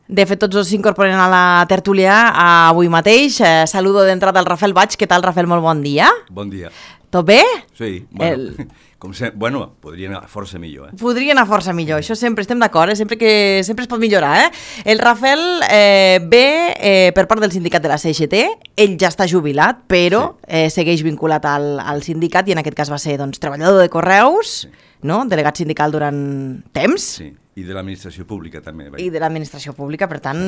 De fet, tots dos s'incorporen a la tertúlia avui mateix. Saludo d'entrada al Rafael Baig. Què tal, Rafael? Molt bon dia. Bon dia. Tot bé? Sí, podria anar força millor. Podria anar força millor, això sempre estem d'acord, sempre es pot millorar. El Rafael ve per part del sindicat de la CGT, ell ja està jubilat, però segueix vinculat al sindicat i en aquest cas va ser treballador de Correus, delegat sindical durant temps. Sí, i de l'administració pública també. I de l'administració pública, per tant...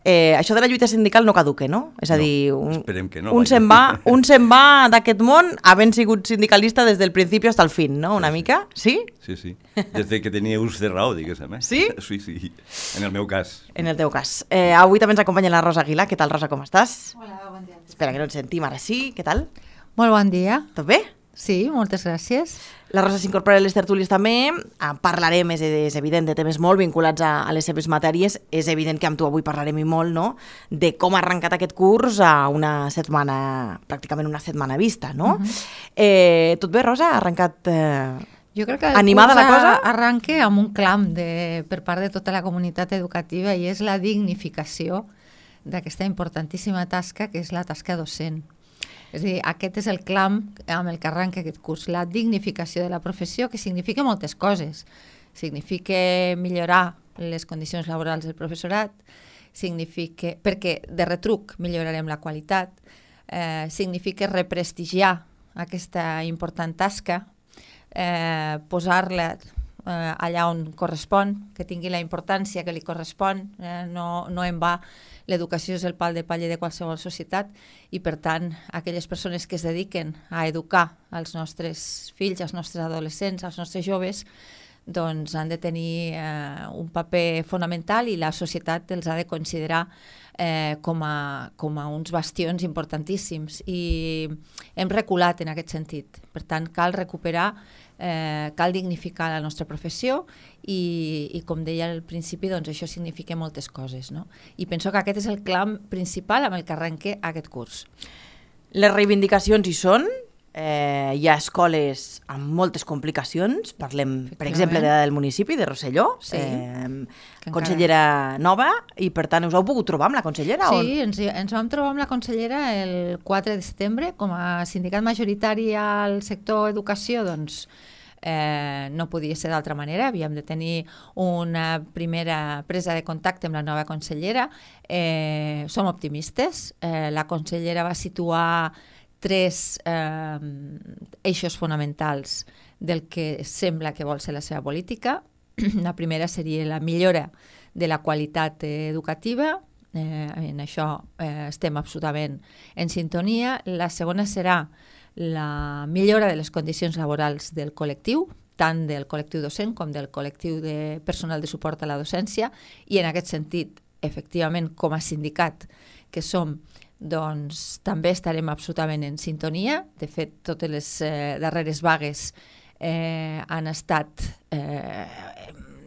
això de la lluita sindical no caduque, no? És a dir, esperem que no, un se'n va d'aquest món havent sigut sindicalista des del principi fins al fin, no? Una mica, sí? Sí. Des que tenia ús de raó, diguéssim. Sí? Sí, en el meu cas. En el teu cas. Avui també ens acompanya la Rosa Aguilar. Què tal, Rosa, com estàs? Hola, bon dia. Espera, que no ens sentim, ara sí. Què tal? Molt bon dia. Tot bé? Sí, moltes gràcies. La Rosa s'incorpora a les tertúlies també. Parlarem, és evident, de temes molt vinculats a les seves matèries. És evident que amb tu avui parlarem i molt, no?, de com ha arrencat aquest curs a una setmana, pràcticament una setmana vista, no? Tot bé, Rosa? Ha arrencat jo crec que animada la cosa? Arranca amb un clam per part de tota la comunitat educativa i és la dignificació d'aquesta importantíssima tasca que és la tasca docent. És a dir, aquest és el clam amb el que arranca aquest curs, la dignificació de la professió, que significa moltes coses. Significa millorar les condicions laborals del professorat, perquè de retruc millorarem la qualitat, significa represtigiar aquesta important tasca, posar-la allà on correspon, que tingui la importància que li correspon, no en va. L'educació és el pal de paller de qualsevol societat i, per tant, aquelles persones que es dediquen a educar els nostres fills, els nostres adolescents, els nostres joves, doncs han de tenir un paper fonamental i la societat els ha de considerar com a uns bastions importantíssims. I hem reculat en aquest sentit. Per tant, cal recuperar, cal dignificar la nostra professió i com deia al principi, doncs això significa moltes coses, no? I penso que aquest és el clam principal amb el que arrenca aquest curs. Les reivindicacions hi són, hi ha escoles amb moltes complicacions, parlem per exemple del municipi de Rosselló, consellera nova, i per tant us heu pogut trobar amb la consellera? Sí, ens vam trobar amb la consellera el 4 de setembre, com a sindicat majoritari al sector educació, doncs no podia ser d'altra manera, havíem de tenir una primera presa de contacte amb la nova consellera. Som optimistes, la consellera va situar 3 eixos fonamentals del que sembla que vol ser la seva política. La primera seria la millora de la qualitat educativa, en això estem absolutament en sintonia. La segona serà la millora de les condicions laborals del col·lectiu, tant del col·lectiu docent com del col·lectiu de personal de suport a la docència, i en aquest sentit, efectivament, com a sindicat que som, doncs també estarem absolutament en sintonia. De fet, totes les darreres vagues han estat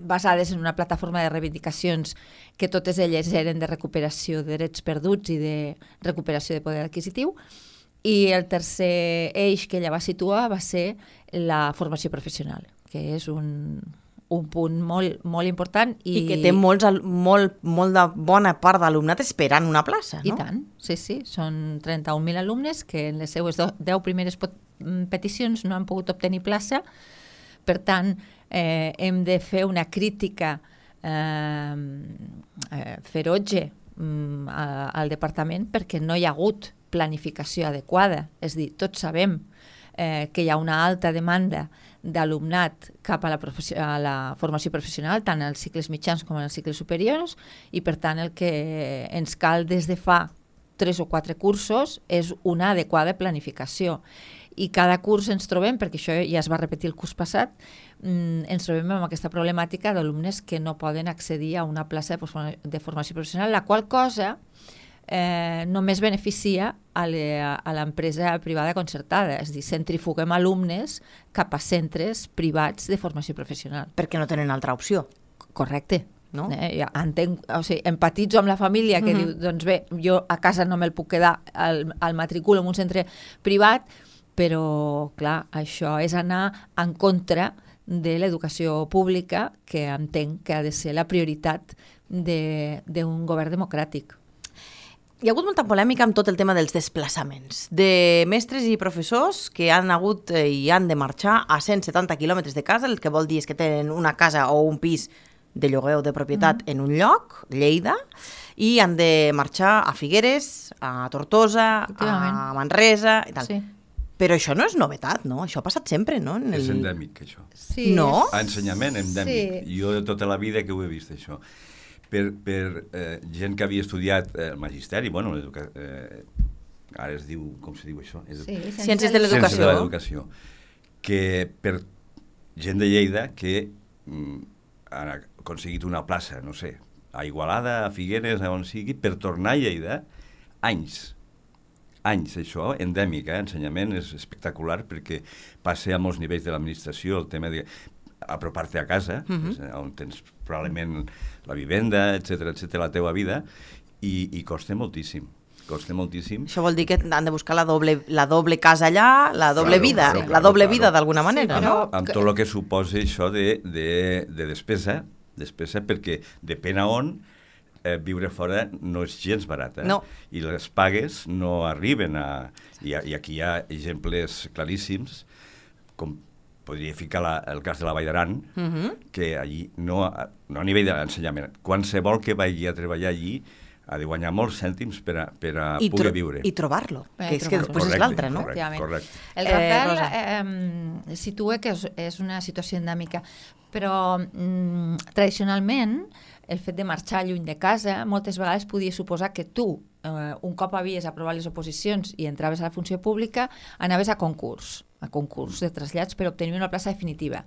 basades en una plataforma de reivindicacions que totes elles eren de recuperació de drets perduts i de recuperació de poder adquisitiu. I el tercer eix que ella va situar va ser la formació professional, que és un punt molt important. I que té molt de bona part d'alumnat esperant una plaça, no? I tant, sí. Són 31.000 alumnes que en les seues 10 primeres peticions no han pogut obtenir plaça. Per tant, hem de fer una crítica ferotge al departament perquè no hi ha hagut planificació adequada. És a dir, tots sabem que hi ha una alta demanda d'alumnat cap a la formació professional, tant als cicles mitjans com als cicles superiors, i per tant el que ens cal des de fa 3 o 4 cursos és una adequada planificació. I cada curs ens trobem, perquè això ja es va repetir el curs passat, ens trobem amb aquesta problemàtica d'alumnes que no poden accedir a una plaça de formació professional, la qual cosa només beneficia a l'empresa privada concertada, és a dir, centrifuguem alumnes cap a centres privats de formació professional. Perquè no tenen altra opció. Correcte. No? Empatitzo amb la família que diu, doncs bé, jo a casa no me'l puc quedar al matricul en un centre privat, però clar, això és anar en contra de l'educació pública, que entenc que ha de ser la prioritat d'un govern democràtic. Hi ha hagut molta polèmica amb tot el tema dels desplaçaments de mestres i professors que han hagut i han de marxar a 170 quilòmetres de casa, el que vol dir és que tenen una casa o un pis de lloguer o de propietat en un lloc, Lleida, i han de marxar a Figueres, a Tortosa, a Manresa i tal. Sí. Però això no és novetat, no? Això ha passat sempre, no? És endèmic, això. Sí, No? A ensenyament, endèmic. Sí. Jo tota la vida que ho he vist, això. Per gent que havia estudiat el magisteri, bueno, ara es diu, com se diu això? Sí, Ciències de l'educació. Ciències de l'educació. Que per gent de Lleida que han aconseguit una plaça, no sé, a Igualada, a Figueres, a on sigui, per tornar a Lleida, anys, això, endèmic, ensenyament és espectacular perquè passa a molts nivells de l'administració el tema de apropar-te a casa, on tens probablement la vivenda, etc, la teua vida, i costa moltíssim. Costa moltíssim. Això vol dir que han de buscar la doble casa allà, la doble vida, la doble vida d'alguna manera, Sí, no? Amb tot el que suposa això de despesa perquè depèn a on viure fora no és gens barat. No. I les pagues no arriben a... I aquí hi ha exemples claríssims, com podria ficar el cas de la Vall d'Aran, que allí no a nivell d'ensenyament, qualsevol que vagi a treballar allí ha de guanyar molts cèntims per a poder viure. I trobar-lo, que és que trobar-lo. després és l'altre, no? Correcte. El Rafael situa que és una situació endèmica, però tradicionalment el fet de marxar lluny de casa moltes vegades podia suposar que tu, un cop havies aprovat les oposicions i entraves a la funció pública, anaves a concurs de trasllats per obtenir una plaça definitiva.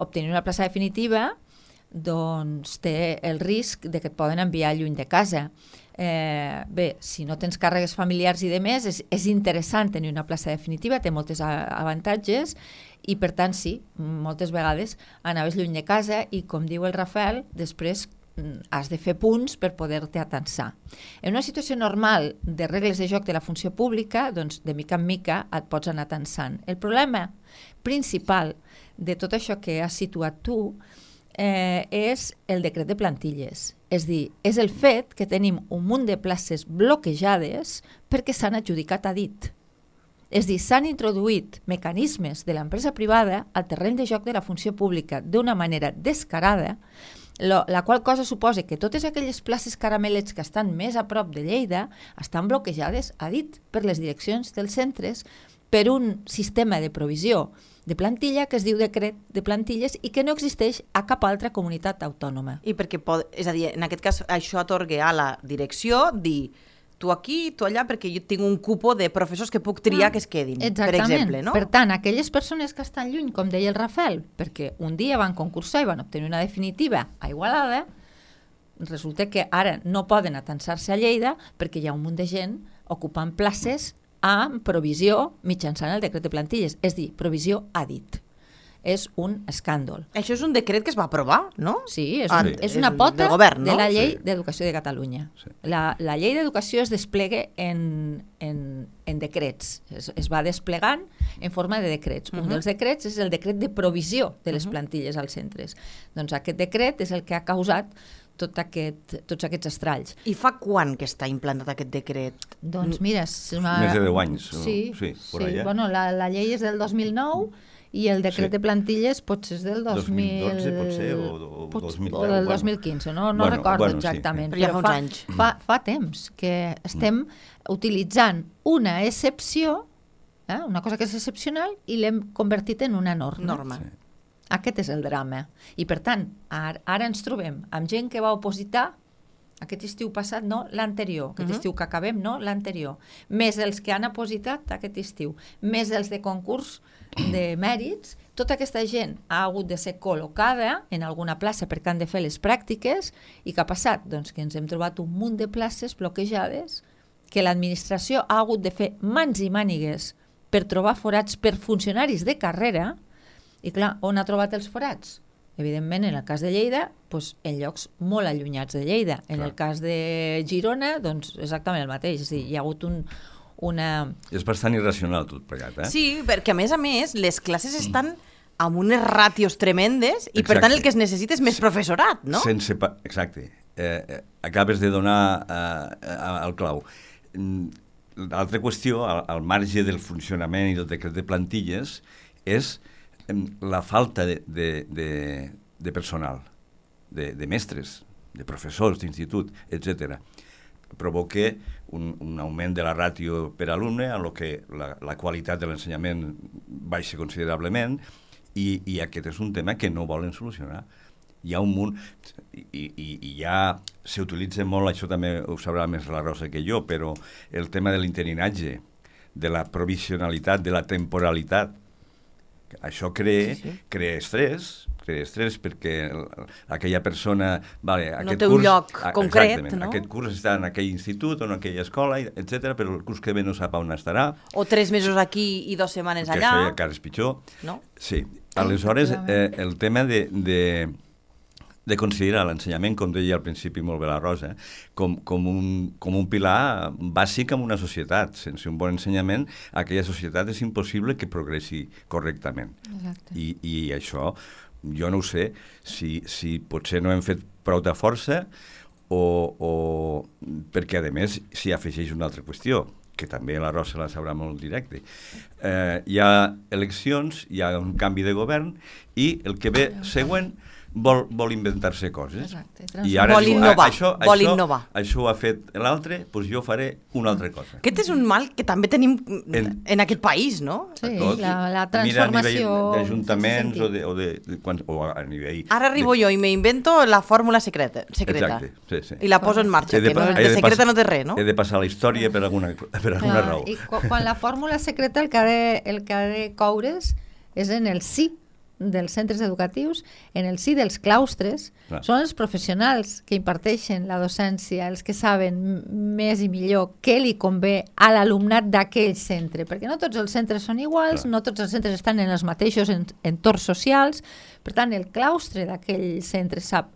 Obtenir una plaça definitiva doncs té el risc de que et poden enviar lluny de casa. Bé, si no tens càrregues familiars i demés, és interessant tenir una plaça definitiva, té molts avantatges i per tant sí, moltes vegades anaves lluny de casa i com diu el Rafael, després has de fer punts per poder-te atansar. En una situació normal de regles de joc de la funció pública, doncs de mica en mica et pots anar atansant. El problema principal de tot això que has situat tu és el decret de plantilles. És dir, és el fet que tenim un munt de places bloquejades perquè s'han adjudicat a dit. És dir, s'han introduït mecanismes de l'empresa privada al terreny de joc de la funció pública d'una manera descarada, la qual cosa suposa que totes aquelles places caramelets que estan més a prop de Lleida estan bloquejades a dit per les direccions dels centres per un sistema de provisió de plantilla que es diu decret de plantilles i que no existeix a cap altra comunitat autònoma. I perquè, és a dir, en aquest cas, això atorga a la direcció dir tu aquí, tu allà, perquè jo tinc un cupo de professors que puc triar que es quedin, per exemple, no? Per tant, aquelles persones que estan lluny, com deia el Rafael, perquè un dia van concursar i van obtenir una definitiva a Igualada, resulta que ara no poden atansar-se a Lleida perquè hi ha un munt de gent ocupant places amb provisió mitjançant el decret de plantilles, és dir, provisió a dit. És un escàndol. Això és un decret que es va aprovar, no? Sí, és una pota govern, no? de la llei d'educació de Catalunya. Sí. La llei d'educació es desplega en decrets. Es va desplegant en forma de decrets. Un dels decrets és el decret de provisió de les plantilles als centres. Doncs aquest decret és el que ha causat tots aquests estralls. I fa quan que està implantat aquest decret? Doncs mira... Més de 10 anys. Sí, por allà. Bueno, la llei és del 2009 i el decret de plantilles potser és del 2012, potser, o 2010. O del 2015, no recordo exactament. Sí. Però ja fa uns anys. Fa temps que estem utilitzant una excepció, una cosa que és excepcional, i l'hem convertit en una norma. Sí. Aquest és el drama. I per tant, ara ens trobem amb gent que va opositar aquest estiu passat, no l'anterior, aquest estiu que acabem, no l'anterior, més els que han opositat aquest estiu, més els de concurs de mèrits, tota aquesta gent ha hagut de ser col·locada en alguna plaça perquè han de fer les pràctiques i què ha passat? Doncs que ens hem trobat un munt de places bloquejades que l'administració ha hagut de fer mans i mànigues per trobar forats per funcionaris de carrera i clar, on ha trobat els forats? Evidentment, en el cas de Lleida, doncs, en llocs molt allunyats de Lleida. En el cas de Girona, doncs exactament el mateix. És a dir, hi ha hagut una... És bastant irracional tot plegat, Sí, perquè a més, les classes estan amb unes ràtios tremendes i per tant el que es necessita és més professorat, no? Exacte. acabes de donar el clau. L'altra qüestió, al marge del funcionament i del decret de plantilles, és la falta de personal, de mestres, de professors d'institut, etc. Provoca un augment de la ràtio per alumne, en què la qualitat de l'ensenyament baixa considerablement, i aquest és un tema que no volen solucionar. Hi ha un munt, i ja s'utilitza molt, això també ho sabrà més la Rosa que jo, però el tema de l'interinatge, de la provisionalitat, de la temporalitat, això crea estrès perquè aquella persona... No té un lloc concret, no? Aquest curs està en aquell institut o en aquella escola, etc., però el curs que ve no sap on estarà. O 3 mesos aquí i 2 setmanes allà. Que això ja encara és pitjor. No? Sí. Aleshores, el tema de considerar l'ensenyament, com deia al principi molt bé la Rosa, com un pilar bàsic en una societat. Sense un bon ensenyament, aquella societat és impossible que progressi correctament. Exacte. I això, jo no ho sé, si potser no hem fet prou de força o perquè, a més, s'hi afegeix una altra qüestió, que també la Rosa la sabrà molt directe. Hi ha eleccions, hi ha un canvi de govern i el que ve següent vol inventar-se coses. Exacte. I ara vol innovar. Això ho ha fet l'altre, doncs jo faré una altra cosa. Aquest és un mal que també tenim en aquest país, no? Sí, la transformació... Mira, a nivell d'ajuntaments o a nivell... Ara arribo jo i m'invento la fórmula secreta. Exacte, sí. I la poso en marxa, que de secreta no té res, no? He de passar la història per alguna raó. I quan la fórmula secreta el que ha de coure's és en el sí dels centres educatius, en el sí dels claustres. Clar. Són els professionals que imparteixen la docència, els que saben més i millor què li convé a l'alumnat d'aquell centre, perquè no tots els centres són iguals, no tots els centres estan en els mateixos entorns socials, per tant el claustre d'aquell centre sap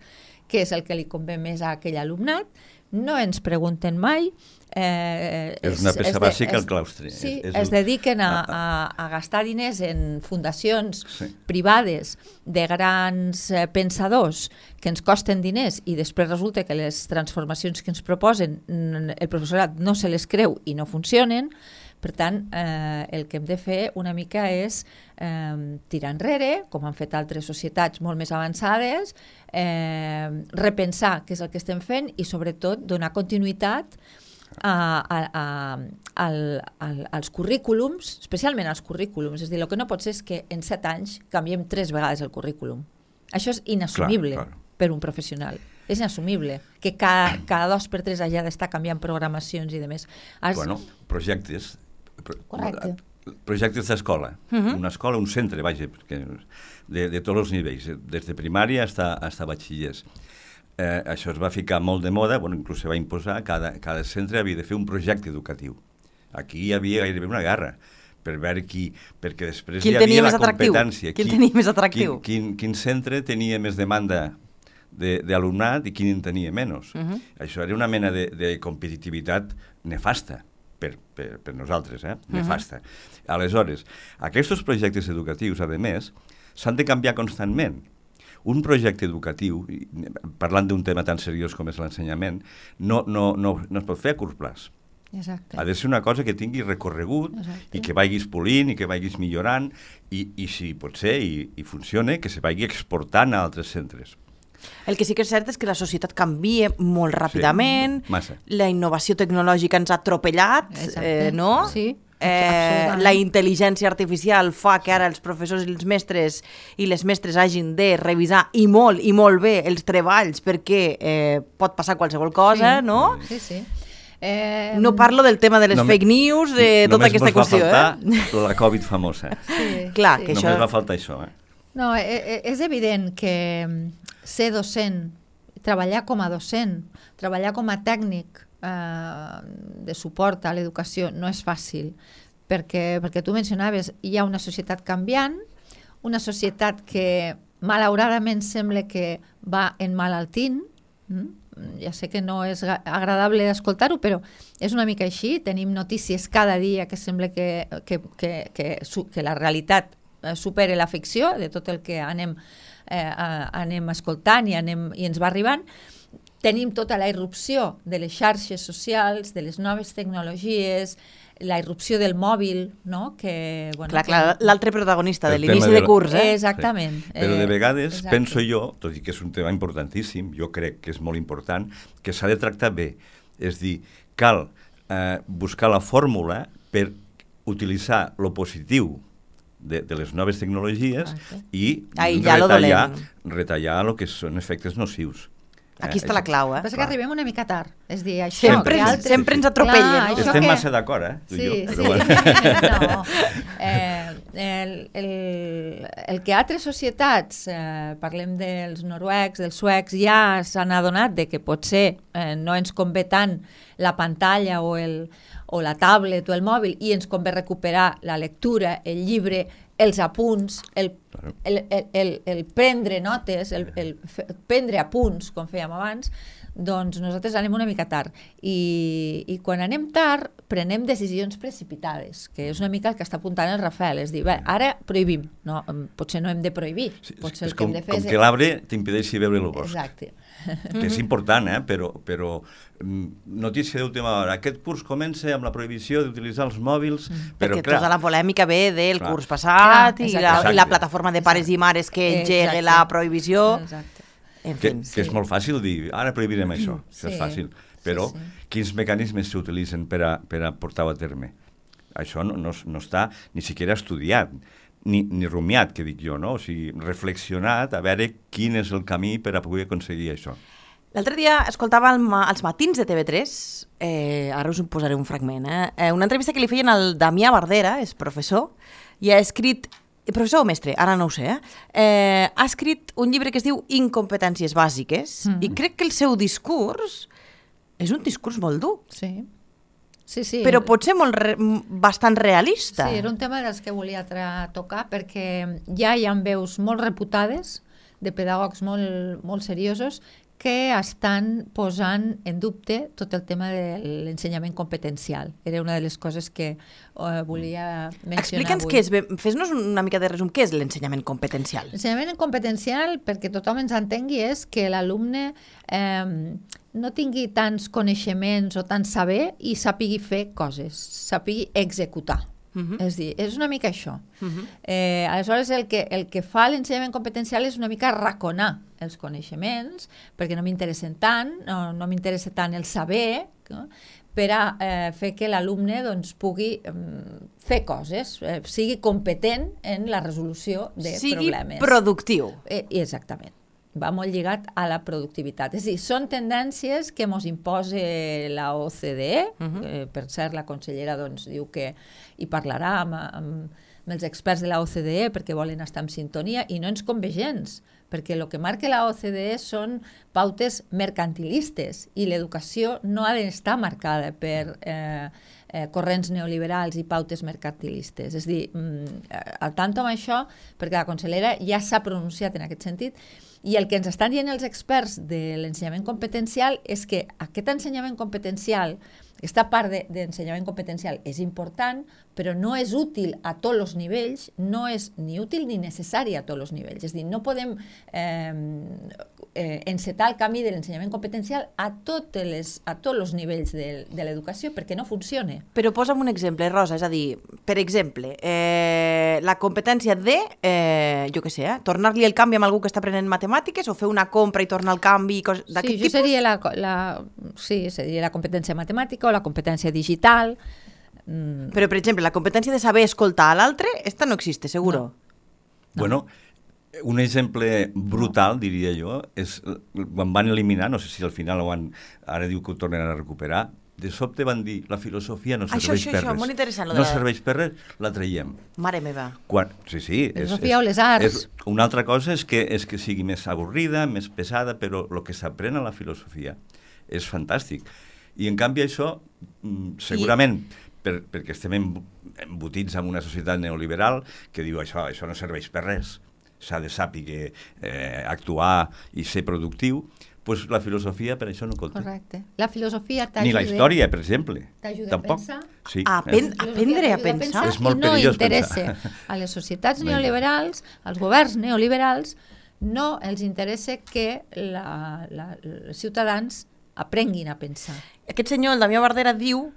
què és el que li convé més a aquell alumnat. No ens pregunten mai. És una peça bàsica el claustre. Sí, es dediquen a gastar diners en fundacions privades de grans pensadors que ens costen diners i després resulta que les transformacions que ens proposen el professorat no se les creu i no funcionen. Per tant, el que hem de fer una mica és tirar enrere, com han fet altres societats molt més avançades, repensar què és el que estem fent i sobretot donar continuïtat als currículums, especialment als currículums. És a dir, el que no pot ser és que en 7 anys canviem 3 vegades el currículum. Això és inassumible per un professional. És inassumible que cada 2 per 3 hagi d'estar canviant programacions i demés. Bueno, projectes. Correcte. Projectes d'escola. Una escola, un centre, vaja, de tots els nivells, des de primària fins a batxillers. Això es va ficar molt de moda, inclús se va imposar, cada centre havia de fer un projecte educatiu. Aquí hi havia gairebé una guerra per veure perquè després hi havia la competència. Qui el tenia més atractiu? Quin centre tenia més demanda d'alumnat i quin en tenia menys. Això era una mena de competitivitat nefasta per nosaltres, nefasta. Aleshores, aquests projectes educatius, a més, s'han de canviar constantment. Un projecte educatiu, parlant d'un tema tan seriós com és l'ensenyament, no es pot fer a curt plaç. Exacte. Ha de ser una cosa que tingui recorregut i que vagis polint i que vagis millorant i si pot ser i funcione, que se vagi exportant a altres centres. El que sí que és cert és que la societat canvia molt ràpidament, la innovació tecnològica ens ha atropellat, no? Sí. La intel·ligència artificial fa que ara els professors i els mestres i les mestres hagin de revisar i molt bé els treballs perquè pot passar qualsevol cosa, no? Sí. No parlo del tema de les fake news, de tota aquesta qüestió. Només va faltar la Covid famosa. Clar, que només va faltar això. No, és evident que ser docent, treballar com a docent, treballar com a tècnic de suport a l'educació no és fàcil, perquè tu mencionaves, hi ha una societat canviant, una societat que malauradament sembla que va enmalaltint, ja sé que no és agradable d'escoltar-ho, però és una mica així, tenim notícies cada dia que sembla que la realitat supera la ficció de tot el que anem escoltant i ens va arribant. tenim tota la irrupció de les xarxes socials, de les noves tecnologies, la irrupció del mòbil, no? Que, bueno, Clar, l'altre protagonista de El l'inici tema de de curs, Exactament. Sí. Però de vegades exacte. penso jo, tot i que és un tema importantíssim, jo crec que és molt important, que s'ha de tractar bé. És dir, cal buscar la fórmula per utilitzar lo positiu de les noves tecnologies i retallar el que són efectes nocius. Aquí està la clau, Passa que arribem una mica tard. És dir, això... Sempre ens atropellen. Clar, Estem massa d'acord, tu i jo. Però bueno. El que altres societats, parlem dels noruecs, dels suecs, ja s'han adonat de que potser no ens convé tant la pantalla o la tablet o el mòbil i ens convé recuperar la lectura, el llibre, els apunts, el prendre notes, el prendre apunts, com fèiem abans, doncs nosaltres anem una mica tard. I quan anem tard, prenem decisions precipitades, que és una mica el que està apuntant el Rafael. És dir, bé, ara prohibim. No, potser no hem de prohibir. Potser el que hem de fer com que l'arbre t'impedeixi veure el bosc. Exacte. Que és important, però notícia d'última hora. Aquest curs comença amb la prohibició d'utilitzar els mòbils, però perquè clar... tota la polèmica ve del curs passat i la plataforma de pares i mares que engega la prohibició. Exacte. Que és molt fàcil dir, ara prohibirem això, això és fàcil, però quins mecanismes s'utilitzen per a portar-ho a terme? Això no està ni siquiera estudiat, ni rumiat, que dic jo, no? O sigui, reflexionat a veure quin és el camí per a poder aconseguir això. L'altre dia escoltava als matins de TV3, ara us en posaré un fragment, una entrevista que li feien al Damià Bardera, és professor, i ha escrit, professor o mestre, ara no ho sé, ha escrit un llibre que es diu Incompetències bàsiques, i crec que el seu discurs és un discurs molt dur. Sí. Però pot ser bastant realista. Sí, era un tema dels que volia tocar, perquè ja hi ha veus molt reputades de pedagogs molt seriosos que estan posant en dubte tot el tema de l'ensenyament competencial. Era una de les coses que volia mencionar Explica'ns avui. què és, fes-nos una mica de resum, què és l'ensenyament competencial? L'ensenyament competencial, perquè tothom ens entengui, és que l'alumne no tingui tants coneixements o tant saber i sàpigui fer coses, sàpigui executar. És dir, és una mica això. Aleshores, el que fa l'ensenyament competencial és una mica raconar els coneixements, perquè no m'interessen tant, no m'interessa tant el saber, no? Per a fer que l'alumne doncs, pugui fer coses, sigui competent en la resolució de problemes. Sigui productiu. Exactament. Va molt lligat a la productivitat. És a dir, són tendències que ens imposa la OCDE, per cert, la consellera doncs, diu que hi parlarà amb els experts de la OCDE perquè volen estar en sintonia i no ens convé gens, perquè el que marca la OCDE són pautes mercantilistes i l'educació no ha d'estar marcada per corrents neoliberals i pautes mercantilistes. És a dir, al tanto amb això, perquè la consellera ja s'ha pronunciat en aquest sentit, i el que ens estan dient els experts de l'ensenyament competencial és que aquest ensenyament competencial, aquesta part d'ensenyament competencial és important, però no és útil a tots els nivells, no és ni útil ni necessari a tots els nivells. És a dir, no podem encetar el camí de l'ensenyament competencial a tots els nivells de l'educació perquè no funciona. Però posa'm un exemple, Rosa, és a dir, per exemple, la competència de, jo què sé, tornar-li el canvi amb algú que està aprenent matemàtiques o fer una compra i tornar el canvi d'aquest tipus? Sí, seria la competència matemàtica o la competència digital. Però, per exemple, la competència de saber escoltar a l'altre, esta no existe, seguro. No. Bueno, un exemple brutal, diria jo, és quan van eliminar, no sé si al final ara diu que ho tornen a recuperar, de sobte van dir, la filosofia no serveix per res. Molt interessant. No serveix per res, la traiem. Mare meva. Sí. Filosofia o les arts. Una altra cosa és que sigui més avorrida, més pesada, però el que s'aprèn a la filosofia és fantàstic. I en canvi això, segurament, perquè estem embotits en una societat neoliberal que diu això no serveix per res, s'ha de saber actuar i ser productiu, doncs la filosofia per això no compta. Correcte. La filosofia t'ajuda... Ni la història, per exemple. T'ajuda a pensar. Sí. Aprendre a pensar. És molt perillós pensar. I no interessa a les societats neoliberals, als governs neoliberals, No els interessa que els ciutadans aprenguin a pensar. Aquest senyor, el Damià Bardera, diu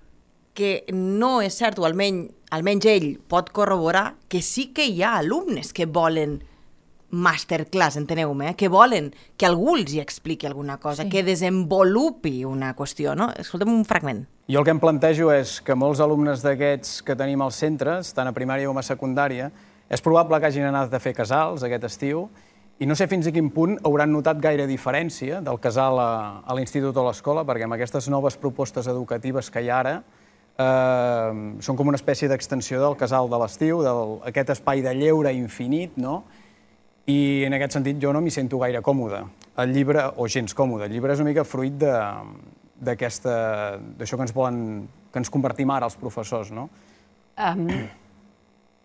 que no és cert, o almenys ell pot corroborar, que sí que hi ha alumnes que volen masterclass, enteneu-me, que volen que algú els hi expliqui alguna cosa, que desenvolupi una qüestió, no? Escolta'm un fragment. Jo el que em plantejo és que molts alumnes d'aquests que tenim als centres, tant a primària com a secundària, és probable que hagin anat a fer casals aquest estiu i no sé fins a quin punt hauran notat gaire diferència del casal a l'institut o a l'escola, perquè amb aquestes noves propostes educatives que hi ha ara són com una espècie d'extensió del casal de l'estiu, d'aquest espai de lleure infinit, no? I en aquest sentit jo no m'hi sento gaire còmode. El llibre, o gens còmode, el llibre és una mica fruit d'això que ens convertim ara els professors, no?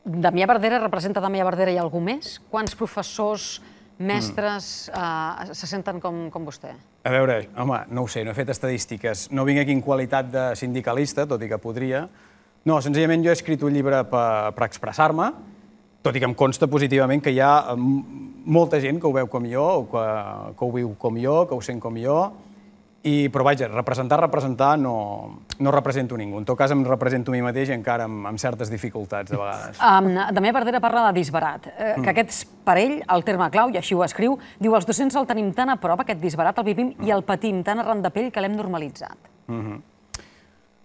Damià Bardera representa Damià Bardera i algú més? Quants professors, mestres se senten com vostè? A veure, home, no ho sé, no he fet estadístiques. No vinc aquí en qualitat de sindicalista, tot i que podria. No, senzillament jo he escrit un llibre per expressar-me, tot i que em consta positivament que hi ha molta gent que ho veu com jo, o que ho viu com jo, que ho sent com jo, però vaja, representar no represento ningú. En tot cas em represento a mi mateix encara amb certes dificultats, de vegades. Damià Bardera parla de disbarat, que aquest és per ell el terme clau, i així ho escriu. Diu, els docents el tenim tan a prop, aquest disbarat el vivim i el patim tan arran de pell que l'hem normalitzat.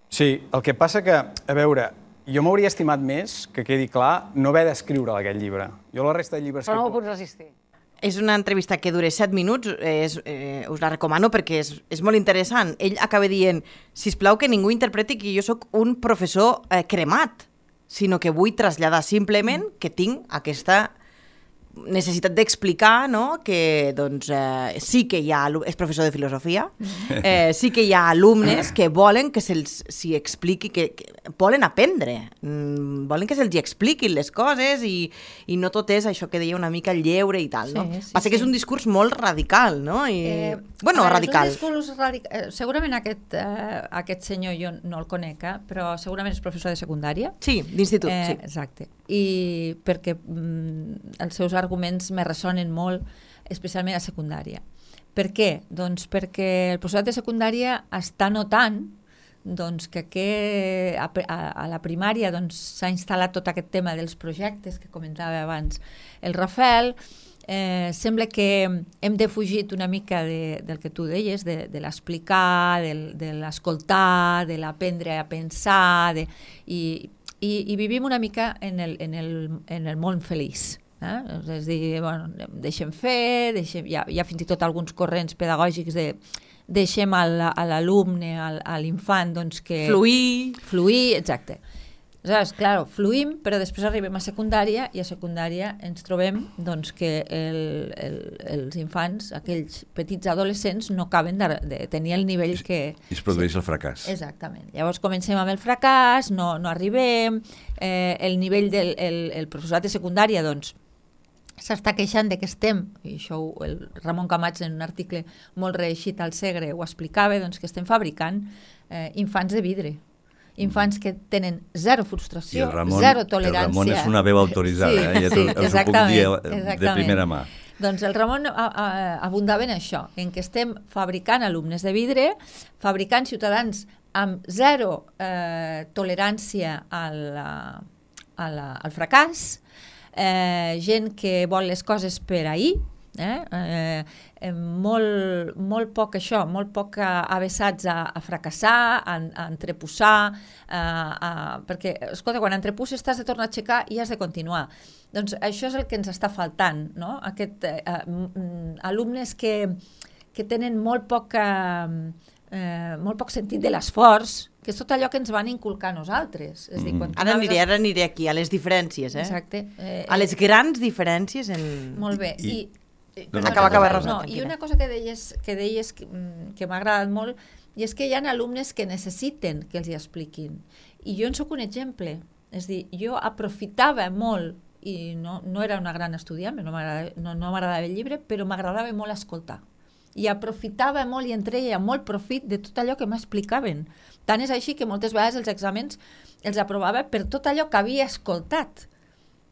Sí, el que passa que, a veure, jo m'hauria estimat més, que quedi clar, no haver d'escriure aquest llibre. Jo la resta de llibres... Però no ho puc resistir. És una entrevista que dura 7 minuts, us la recomano perquè és molt interessant. Ell acaba dient, sisplau que ningú interpreti que jo sóc un professor cremat, sinó que vull traslladar simplement que tinc aquesta necessitat d'explicar, no?, que doncs, sí que hi ha... És professor de filosofia, sí que hi ha alumnes que volen que s'hi expliqui, que volen aprendre, volen que se'ls expliquin les coses i no tot és això que deia una mica el lleure i tal, no? Passa que és un discurs molt radical, no? Bueno, radical. És un discurs radical. Segurament aquest senyor jo no el conec, però segurament és professor de secundària. Sí, d'institut, sí. Exacte. I perquè els seus arguments me ressonen molt, especialment a secundària. Per què? Doncs perquè el professorat de secundària està notant que a la primària s'ha instal·lat tot aquest tema dels projectes que comentava abans el Rafael. Sembla que hem defugit una mica del que tu deies, de l'explicar, de l'escoltar, de l'aprendre a pensar, i vivim una mica en el món feliç. És a dir, bueno, deixem fer, hi ha fins i tot alguns corrents pedagògics de deixem a l'alumne, a l'infant, doncs que... Fluir, exacte. Aleshores, clar, fluïm, però després arribem a secundària i a secundària ens trobem doncs, que els infants, aquells petits adolescents, no acaben de tenir el nivell que... I es produeix el fracàs. Exactament. Llavors comencem amb el fracàs, no arribem, el nivell del professorat de secundària, doncs, s'està queixant de que estem, i això el Ramon Camats en un article molt reeixit al Segre ho explicava, doncs que estem fabricant infants de vidre. Infants que tenen zero frustració, zero tolerància. El Ramon és una veu autoritzada, els ho puc dir de primera mà. Doncs el Ramon abundava en això, en que estem fabricant alumnes de vidre, fabricant ciutadans amb zero tolerància al fracàs, gent que vol les coses per ahir, molt poc això, molt poc avesats a fracassar, a entreposar, perquè, escolta, quan entrepusses t'has de tornar a aixecar i has de continuar. Doncs això és el que ens està faltant, no? Alumnes que tenen molt poc sentit de l'esforç, que és tot allò que ens van inculcar nosaltres. És dir, ara aniré aquí, a les diferències. Exacte. A les grans diferències. Molt bé. Acaba. I una cosa que deies que m'ha agradat molt, i és que hi ha alumnes que necessiten que els hi expliquin. I jo en soc un exemple. És dir, jo aprofitava molt, i no era una gran estudiant, no m'agradava el llibre, però m'agradava molt escoltar. I aprofitava molt i en treia molt profit de tot allò que m'explicaven. Tant és així que moltes vegades els exàmens els aprovava per tot allò que havia escoltat,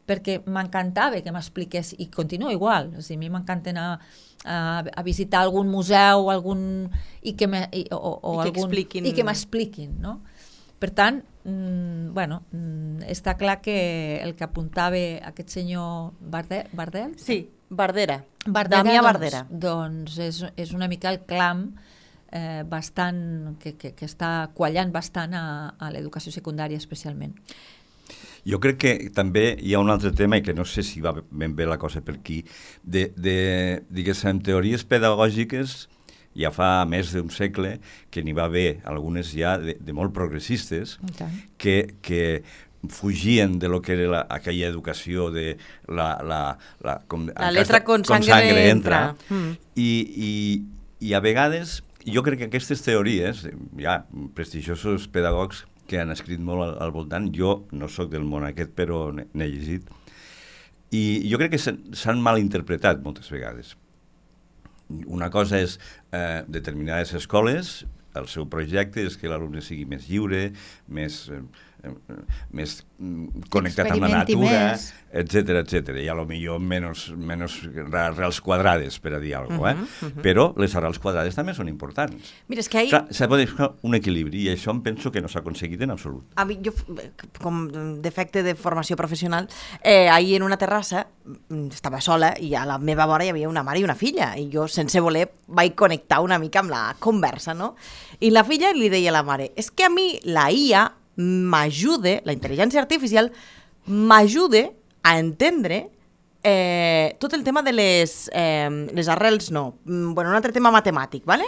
perquè m'encantava que m'expliqués, i continua igual, a mi m'encanta anar a visitar algun museu i que m'expliquin, no? Per tant, està clar que el que apuntava aquest senyor Bardel? Sí, Bardera. Damià Bardera. Doncs és una mica el clam bastant que està quallant bastant a l'educació secundària especialment. Jo crec que també hi ha un altre tema, i que no sé si va ben bé la cosa per aquí, diguéssim, teories pedagògiques ja fa més d'un segle, que n'hi va haver algunes ja de molt progressistes, que fugien de lo que era aquella educació de la letra con sangre entra. I a vegades, jo crec que aquestes teories, hi ha prestigiosos pedagogs que han escrit molt al voltant, jo no sóc del món aquest, però n'he llegit, i jo crec que s'han malinterpretat moltes vegades. Una cosa és determinades escoles, el seu projecte és que l'alumne sigui més lliure, més connectat amb la natura, etc. I a lo millor menys arrels quadrades, per a dir alguna cosa, però les arrels quadrades també són importants. Mira, és que Clar, s'ha de buscar un equilibri, i això em penso que no s'ha aconseguit en absolut. A mi, jo, com defecte de formació professional, ahir en una terrassa estava sola i a la meva vora hi havia una mare i una filla, i jo, sense voler, vaig connectar una mica amb la conversa, no? I la filla li deia a la mare, és que a mi la IA m'ajuda, la intel·ligència artificial m'ajuda a entendre tot el tema de les arrels, un altre tema matemàtic, ¿vale?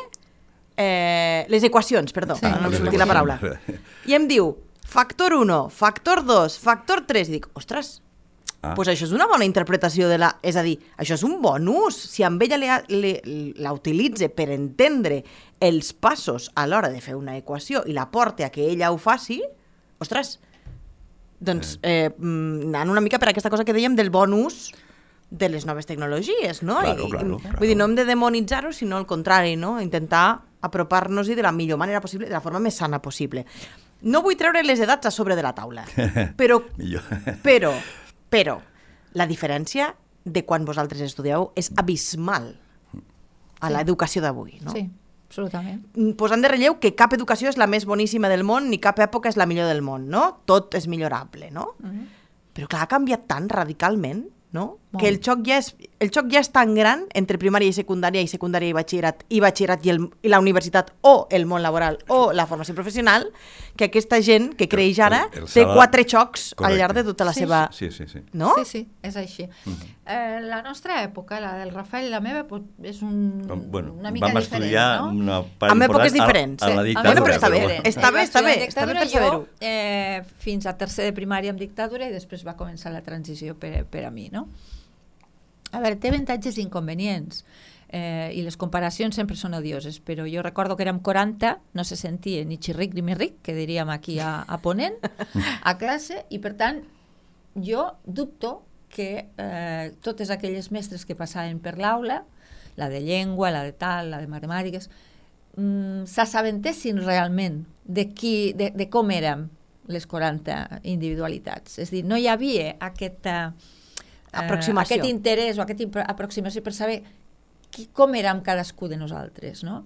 Les equacions, perdó, no em sortia la paraula. I em diu, factor 1, factor 2, factor 3, i dic, ostres, doncs això és una bona interpretació és a dir, això és un bon ús. Si amb ella la utilitza per entendre els passos a l'hora de fer una equació i la porta a que ella ho faci, ostres, doncs anant una mica per aquesta cosa que dèiem del bon ús de les noves tecnologies, no? Claro. Vull dir, no hem de demonitzar-ho, sinó al contrari, no? Intentar apropar-nos-hi de la millor manera possible, de la forma més sana possible. No vull treure les edats a sobre de la taula, però la diferència de quan vosaltres estudieu és abismal a l'educació d'avui, no? Sí, absolutament. Posant de relleu que cap educació és la més boníssima del món ni cap època és la millor del món, no? Tot és millorable, no? Però clar, ha canviat tan radicalment, no? Que el xoc ja és tan gran entre primària i secundària i batxillerat i la universitat o el món laboral o la formació professional, que aquesta gent que creix ara té 4 xocs al llarg de tota la seva... Sí. No? Sí, és així. La nostra època, la del Rafael i la meva, és una mica diferent, no? Amb èpoques diferents. A la dictadura. Però està bé per saber-ho. Fins a tercer de primària amb dictadura i després va començar la transició per a mi, no? A veure, té avantatges i inconvenients i les comparacions sempre són odioses, però jo recordo que érem 40, no se sentia ni xirric ni mirric, que diríem aquí a Ponent, a classe, i per tant jo dubto que totes aquelles mestres que passaven per l'aula, la de llengua, la de tal, la de matemàtiques, s'assabentessin realment de com érem les 40 individualitats. És a dir, no hi havia aquest interès o aquesta aproximació per saber com érem cadascú de nosaltres, no?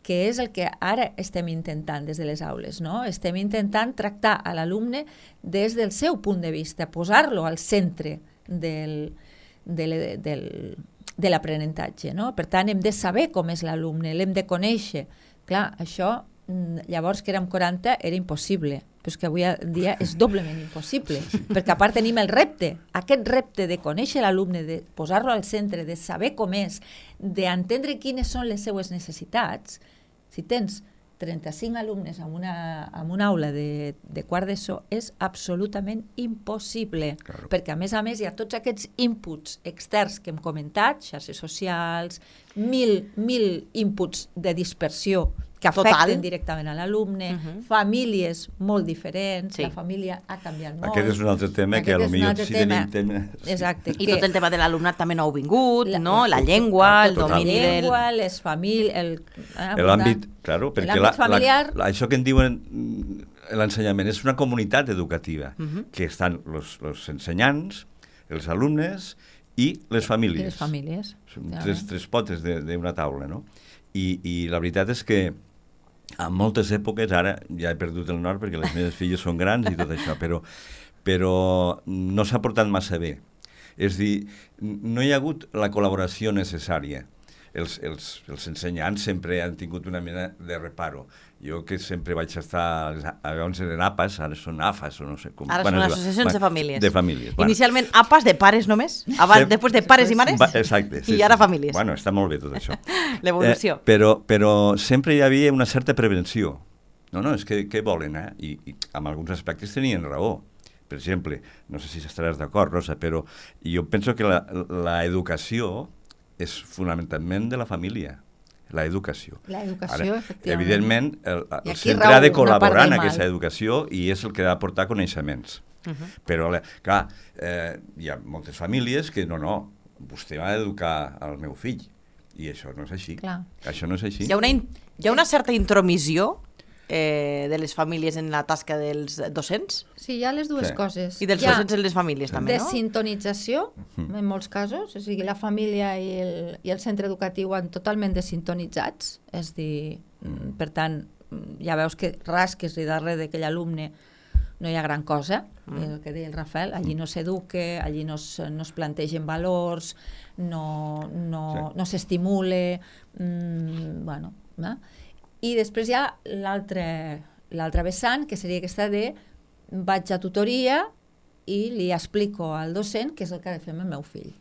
Que és el que ara estem intentant des de les aules, no? Estem intentant tractar a l'alumne des del seu punt de vista, posar-lo al centre de l'aprenentatge, no? Per tant, hem de saber com és l'alumne, l'hem de conèixer. Clar, això, llavors que érem 40, era impossible, però és que avui en dia és doblement impossible, perquè a part tenim el repte, aquest repte de conèixer l'alumne, de posar-lo al centre, de saber com és, d'entendre quines són les seues necessitats. Si tens 35 alumnes en una aula de quart d'ESO, és absolutament impossible, perquè a més hi ha tots aquests inputs externs que hem comentat, xarxes socials, mil inputs de dispersió que afecten directament a l'alumne, famílies molt diferents, la família ha canviat molt. Aquest és un altre tema que potser sí tenim tema... Exacte. I tot el tema de l'alumnat també nou vingut, no? La llengua, el domini del... La llengua, les famílies... L'àmbit, claro, perquè això que en diuen l'ensenyament és una comunitat educativa, que estan els ensenyants, els alumnes i les famílies. I les famílies. Són tres potes d'una taula, no? I la veritat és que en moltes èpoques, ara ja he perdut el nord perquè les meves filles són grans i tot això, però no s'ha portat massa bé. És a dir, no hi ha hagut la col·laboració necessària. Els ensenyants sempre han tingut una mena de reparo. Jo que sempre vaig estar, abans eren APAs, ara són AFAs, o no sé com. Ara són associacions de famílies. De famílies. Inicialment APAs de pares només, després de pares i mares, exacte, i ara famílies. Bueno, està molt bé tot això. L'evolució. Però sempre hi havia una certa prevenció. No, és que què volen, I en alguns aspectes tenien raó. Per exemple, no sé si estaràs d'acord, Rosa, però jo penso que l'educació és fonamentalment de la família, l'educació. L'educació, efectivament. Evidentment, el centre ha de col·laborar en aquesta educació i és el que ha de portar coneixements. Però, clar, hi ha moltes famílies que no, vostè va educar el meu fill i això no és així. Clar. Això no és així. Hi ha una certa intromissió de les famílies en la tasca dels docents? Sí, hi ha les dues coses. I dels docents en les famílies també, no? Desintonització, en molts casos, o sigui, la família i el centre educatiu han totalment desintonitzats, és dir, per tant, ja veus que rasques-li darrere d'aquell alumne no hi ha gran cosa, el que deia el Rafael, allí no s'eduque, allí no es plantegen valors, no s'estimule, bueno, i després hi ha l'altre vessant, que seria aquesta de vaig a tutoria i li explico al docent què és el que ha de fer amb el meu fill.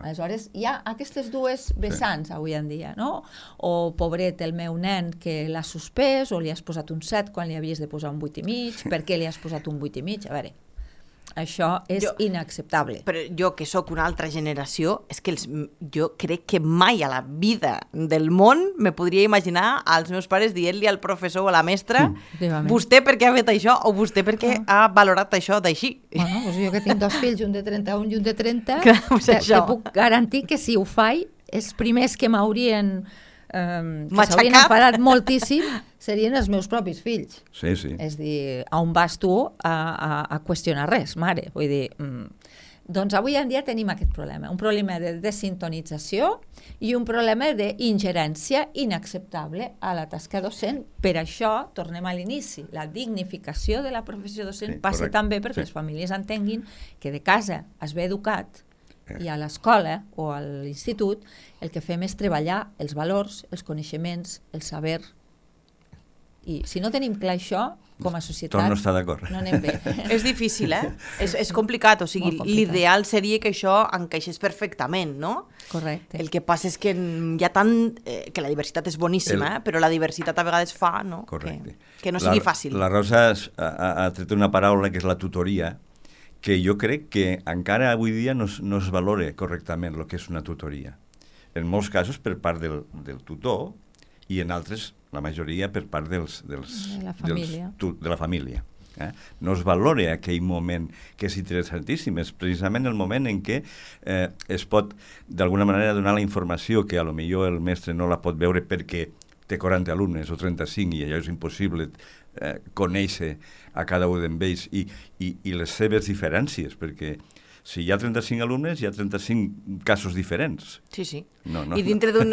Aleshores, hi ha aquestes dues vessants avui en dia, no? O pobret el meu nen que l'ha suspès, o li has posat un 7 quan li havies de posar un 8,5, per què li has posat un 8,5? A veure, això és inacceptable. Però jo, que sóc una altra generació, és que jo crec que mai a la vida del món me podria imaginar als meus pares dient-li al professor o a la mestra vostè per què ha fet això o vostè per què ha valorat això d'així. Bueno, doncs jo que tinc 2 fills, un de 31 i un de 30, te puc garantir que si ho faig, els primers que m'haurien s'haurien enfadat moltíssim serien els meus propis fills. Sí. És dir, on vas tu a qüestionar res, mare? Vull dir, doncs avui en dia tenim aquest problema, un problema de desintonització i un problema d'ingerència inacceptable a la tasca docent. Per això, tornem a l'inici, la dignificació de la professió docent passa també perquè les famílies entenguin que de casa es ve educat i a l'escola o a l'institut el que fem és treballar els valors, els coneixements, el saber. I si no tenim clar això, com a societat, Torno a estar d'acord. No anem bé. És difícil, és complicat, o sigui, l'ideal seria que això encaixés perfectament, no? Correcte. El que passa és que hi ha tant... que la diversitat és boníssima, però la diversitat a vegades fa, no? Que no sigui fàcil. La Rosa ha tret una paraula que és la tutoria, que jo crec que encara avui dia no es valora correctament el que és una tutoria. En molts casos per part del tutor i en altres, la majoria, per part de la família. No es valora aquell moment que és interessantíssim, és precisament el moment en què es pot d'alguna manera donar la informació que a lo millor el mestre no la pot veure perquè té 40 alumnes o 35 i allò és impossible conèixer a cada un d'ells i les seves diferències, perquè si hi ha 35 alumnes, hi ha 35 casos diferents. Sí. No, I dintre un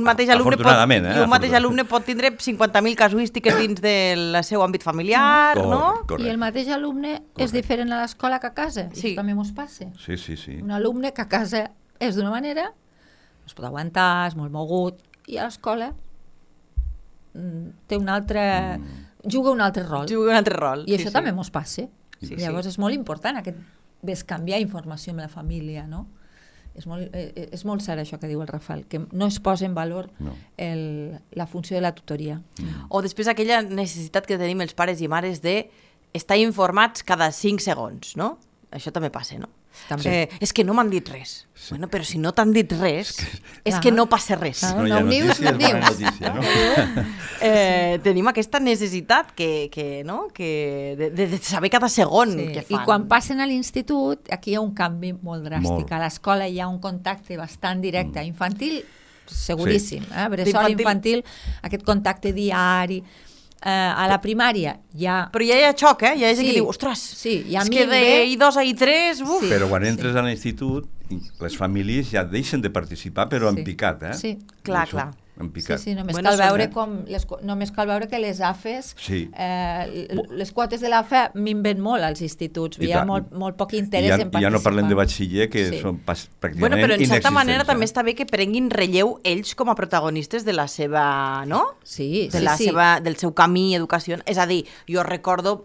mateix alumne pot tindre 50.000 casuístiques dins del seu àmbit familiar, no? I el mateix alumne és diferent a l'escola que a casa. Sí. Això també mos passa. Sí. Un alumne que a casa és d'una manera, es pot aguantar, és molt mogut, i a l'escola té un altre... juga un altre rol. I això també mos passa. Llavors és molt important aquest bescanviar informació amb la família, no? És molt cert això que diu el Rafael, que no es posa en valor la funció de la tutoria. O després aquella necessitat que tenim els pares i mares d'estar informats cada 5 segons, no? Això també passa, no? És que no m'han dit res. Bueno, però si no t'han dit res, és que no passa res. No hi ha notícia, és bona notícia, no? Tenim aquesta necessitat de saber cada segon què fan. I quan passen a l'institut, aquí hi ha un canvi molt dràstic. A l'escola hi ha un contacte bastant directe. Infantil, seguríssim. Bressol infantil, aquest contacte diari, a la primària ja... Però ja hi ha xoc, ja hi ha gent que diu, ostres, hi ha és que de I2 a I3... Uf. Però quan entres a l'institut, les famílies ja deixen de participar, però en picat, Sí, clar. En picat. Sí, només cal veure només cal veure que les AFES, les quotes de l'AFE minven molt als instituts, hi ha molt poc interès en participar. Ja no parlem de batxiller, que són pràcticament inexistents. Però en certa manera també està bé que prenguin relleu ells com a protagonistes de la seva, no? Sí, del seu camí i educació. És a dir, jo recordo,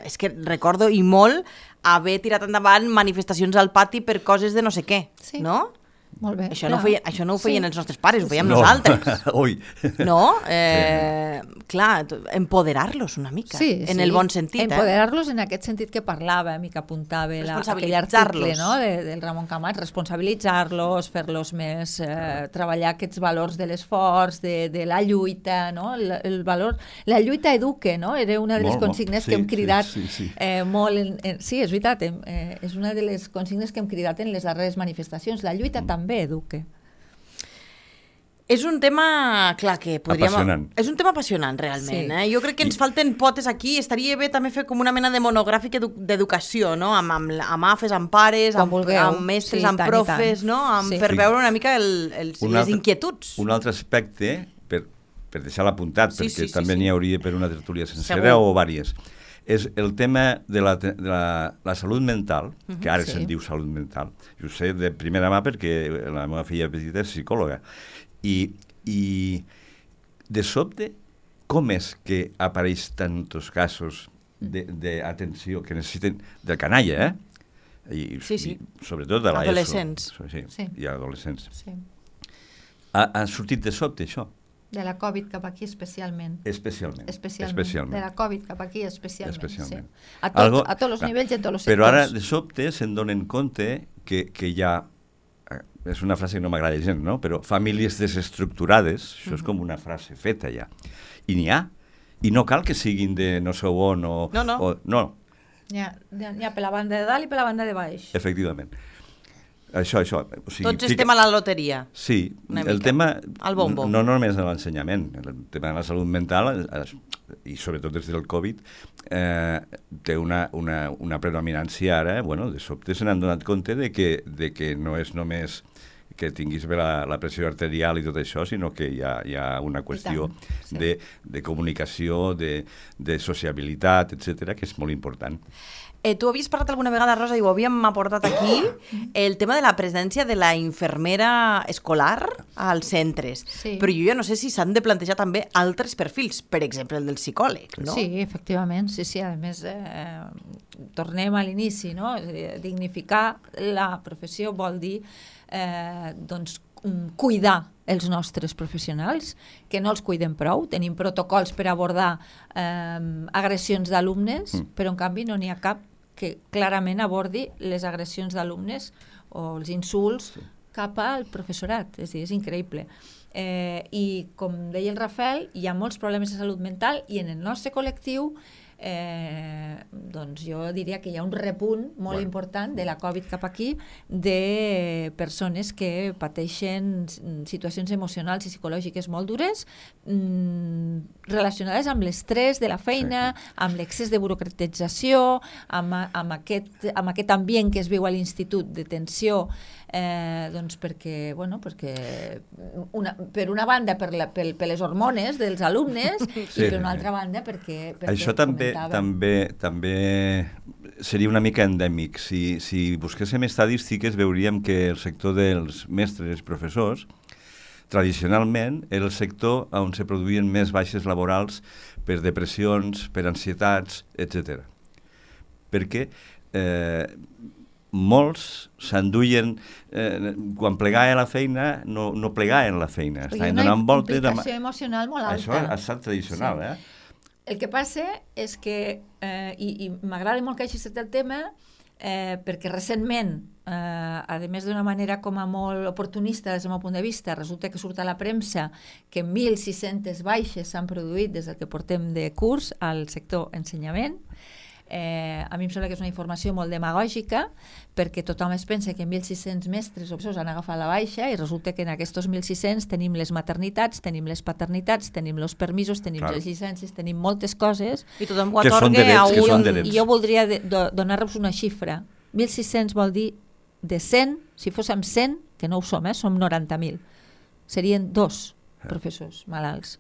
és que recordo i molt haver tirat endavant manifestacions al pati per coses de no sé què, no? Molt bé. Això no ho feien els nostres pares, ho fèiem nosaltres. Ui. No? Clar, empoderar-los una mica, en el bon sentit. Empoderar-los en aquest sentit que parlàvem i que apuntava aquell article del Ramon Camats, responsabilitzar-los, fer-los més, treballar aquests valors de l'esforç, de la lluita, no? El valor... La lluita eduque, no? Era una de les consignes que hem cridat molt... Sí, és veritat, és una de les consignes que hem cridat en les darreres manifestacions. La lluita també eduque. És un tema, clar, que podríem... Apassionant. És un tema apassionant, realment. Jo crec que ens falten potes aquí. Estaria bé també fer com una mena de monogràfic d'educació, no? Amb AFES, amb pares, amb mestres, amb profes, no? Per veure una mica les inquietuds. Un altre aspecte, per deixar-lo apuntat, perquè també n'hi hauria per una tertúlia sencera o vàries, és el tema de la salut mental, que ara se'n diu salut mental. Jo ho sé de primera mà perquè la meva filla petita és psicòloga. I de sobte, com és que apareix tantos casos d'atenció que necessiten del canalla, I sobretot de l'ESO. Adolescents. I adolescents. Ha sortit de sobte, això? De la Covid cap aquí especialment. Especialment. De la Covid cap aquí especialment. A tots els nivells i a tots els sectors. Però ara, de sobte, se'n donen compte que hi ha, és una frase que no m'agrada gens, no? Però famílies desestructurades, això és com una frase feta ja. I n'hi ha. I no cal que siguin de no sé on o... No. N'hi ha per la banda de dalt i per la banda de baix. Efectivament. Això. O sigui, tots estem a la loteria. Sí, el tema, no només de l'ensenyament, el tema de la salut mental, i sobretot des del Covid, té una predominància ara, de sobte se n'han donat compte de que no és només que tinguis bé la pressió arterial i tot això, sinó que hi ha una qüestió de comunicació, de sociabilitat, etc., que és molt important. Tu havies parlat alguna vegada, Rosa, i ho havíem aportat aquí, el tema de la presència de la infermera escolar als centres. Però jo ja no sé si s'han de plantejar també altres perfils, per exemple el del psicòleg, no? Sí, efectivament, sí. A més, tornem a l'inici, no? Dignificar la professió vol dir cuidar els nostres professionals, que no els cuidem prou. Tenim protocols per abordar agressions d'alumnes, però en canvi no n'hi ha cap que clarament abordi les agressions d'alumnes o els insults cap al professorat. És a dir, és increïble. I com deia el Rafael, hi ha molts problemes de salut mental i en el nostre col·lectiu doncs jo diria que hi ha un repunt molt important de la Covid cap aquí de persones que pateixen situacions emocionals i psicològiques molt dures relacionades amb l'estrès de la feina, amb l'excés de burocratització, amb aquest ambient que es viu a l'institut de tensió, doncs perquè per una banda per les hormones dels alumnes i per una altra banda perquè això també seria una mica endèmic. Si busquéssim estadístiques veuríem que el sector dels mestres i professors tradicionalment era el sector on se produïen més baixes laborals per depressions, per ansietats, etc. Perquè molts s'enduien, quan plegaven la feina, no plegaven la feina. Hi ha una implicació emocional molt alta. Això ha estat tradicional, El que passa és que, i m'agrada molt que hagi estat el tema, perquè recentment, a més d'una manera com a molt oportunista des del meu punt de vista, resulta que surt a la premsa que 1.600 baixes s'han produït des del que portem de curs al sector ensenyament. A mi em sembla que és una informació molt demagògica, perquè tothom es pensa que 1.600 mestres o professors han agafat la baixa i resulta que en aquests 1.600 tenim les maternitats, tenim les paternitats, tenim els permisos, tenim les llicències, tenim moltes coses. I tothom ho atorga a un... I jo voldria donar-vos una xifra. 1.600 vol dir de 100, si fóssim 100, que no ho som, som 90.000. Serien 2 professors malalts.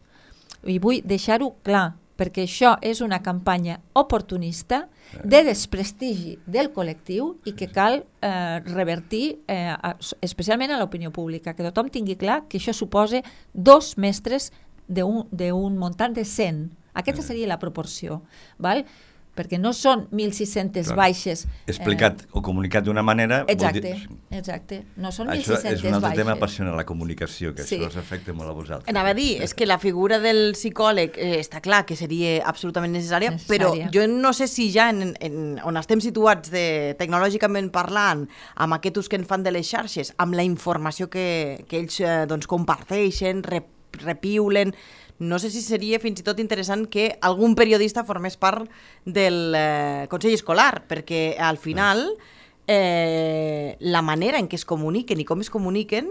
I vull deixar-ho clar, perquè això és una campanya oportunista de desprestigi del col·lectiu i que cal revertir especialment a l'opinió pública, que tothom tingui clar que això suposa 2 mestres d'un muntant de 100. Aquesta seria la proporció, val? Perquè no són 1.600 baixes. Explicat o comunicat d'una manera... Exacte. No són 1.600 baixes. Això és un altre tema apassionant, la comunicació, que això us afecta molt a vosaltres. Anava a dir, és que la figura del psicòleg està clar que seria absolutament necessària, però jo no sé si ja on estem situats tecnològicament parlant, amb aquest ús que en fan de les xarxes, amb la informació que ells comparteixen, repiulen... No sé si seria fins i tot interessant que algun periodista formés part del Consell Escolar, perquè al final la manera en què es comuniquen i com es comuniquen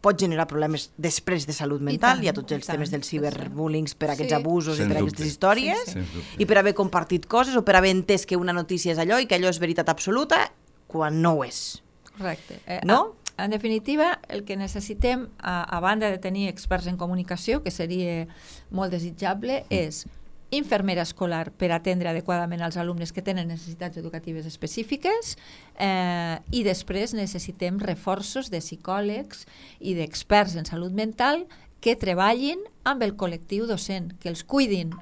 pot generar problemes després de salut mental. Hi ha tots els temes dels ciberbullying per aquests abusos i per aquestes històries, i per haver compartit coses o per haver entès que una notícia és allò i que allò és veritat absoluta quan no ho és. Correcte. No? En definitiva, el que necessitem, a banda de tenir experts en comunicació, que seria molt desitjable, és infermera escolar per atendre adequadament als alumnes que tenen necessitats educatives específiques, i després necessitem reforços de psicòlegs i d'experts en salut mental que treballin amb el col·lectiu docent, que els cuidin.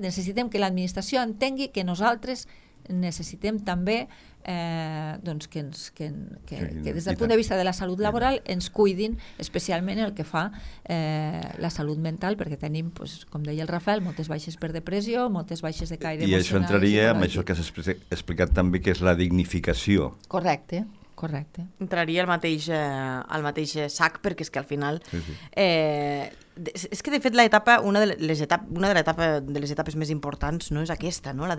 Necessitem que l'administració entengui que nosaltres necessitem també que des del punt de vista de la salut laboral ens cuidin especialment el que fa la salut mental, perquè tenim, com deia el Rafael, moltes baixes per depressió, moltes baixes de caire emocional. I això entraria amb això que has explicat també, que és la dignificació. Correcte. Entraria al mateix sac, perquè és que al final és que de fet una de les etapes més importants no és aquesta, no?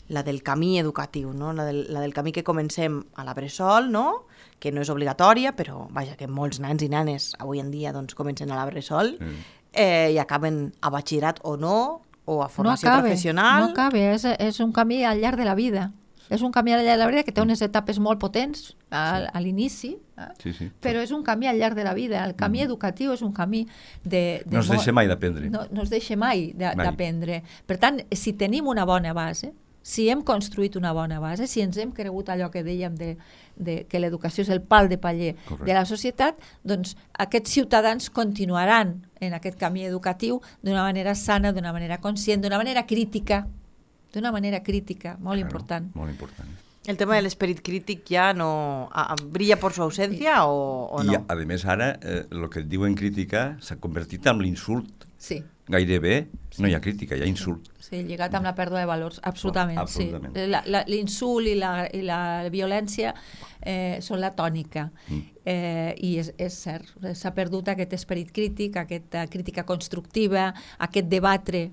La del camí educatiu, no? La del camí que comencem a la bressol, no? Que no és obligatòria, però vaja, que molts nans i nanes avui en dia comencen a la bressol i acaben a batxillerat o no, o a formació professional. No acaba, és un camí al llarg de la vida. És un camí al llarg de la vida que té unes etapes molt potents a l'inici, però és un camí al llarg de la vida. El camí educatiu és un camí no es deixa mai d'aprendre. No es deixa mai d'aprendre. Per tant, si tenim una bona base, si hem construït una bona base, si ens hem cregut allò que dèiem que l'educació és el pal de paller de la societat, doncs aquests ciutadans continuaran en aquest camí educatiu d'una manera sana, d'una manera conscient, d'una manera crítica, molt important. Molt important. El tema de l'esperit crític ja no brilla per su ausència o no? I a més ara el que et diuen crítica s'ha convertit en l'insult. Sí. Gairebé no hi ha crítica, hi ha insult. Sí, lligat amb la pèrdua de valors, absolutament. L'insult i la violència són la tònica. I és cert, s'ha perdut aquest esperit crític, aquesta crítica constructiva, aquest debatre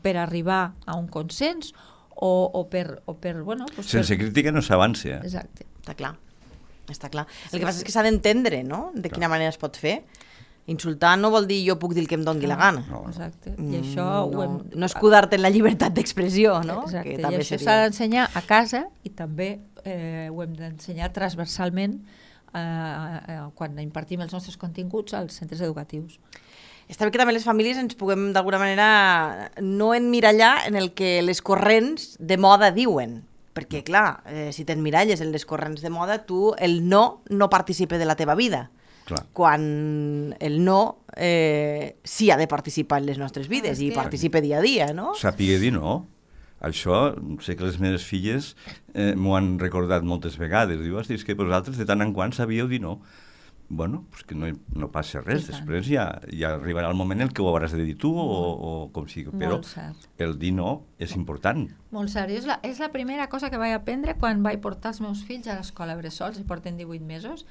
per arribar a un consens o per sense crítica no s'avança. Exacte. Està clar. El que passa és que s'ha d'entendre, no?, de quina manera es pot fer. Insultar no vol dir jo puc dir el que em doni la gana. Exacte. I això no escudar-te en la llibertat d'expressió, no? Exacte. I això s'ha d'ensenyar a casa i també ho hem d'ensenyar transversalment quan impartim els nostres continguts als centres educatius. Està bé que també les famílies ens puguem d'alguna manera no emmirallar en el que les corrents de moda diuen, perquè clar, si t'emmiralles en les corrents de moda, tu el no participa de la teva vida. Clar. Quan el no sí ha de participar en les nostres vides i participa dia a dia, no? Sàpiga dir no. Això, sé que les meves filles m'ho han recordat moltes vegades. Diu, és que vosaltres de tant en quant sabíeu dir no. Bueno, pues que no passa res. Després ja arribarà el moment en què ho hauràs de dir tu o com sigui. Però el dir no és important. Molt cert. És la primera cosa que vaig aprendre quan vaig portar els meus fills a l'escola bressol, si porten 18 mesos,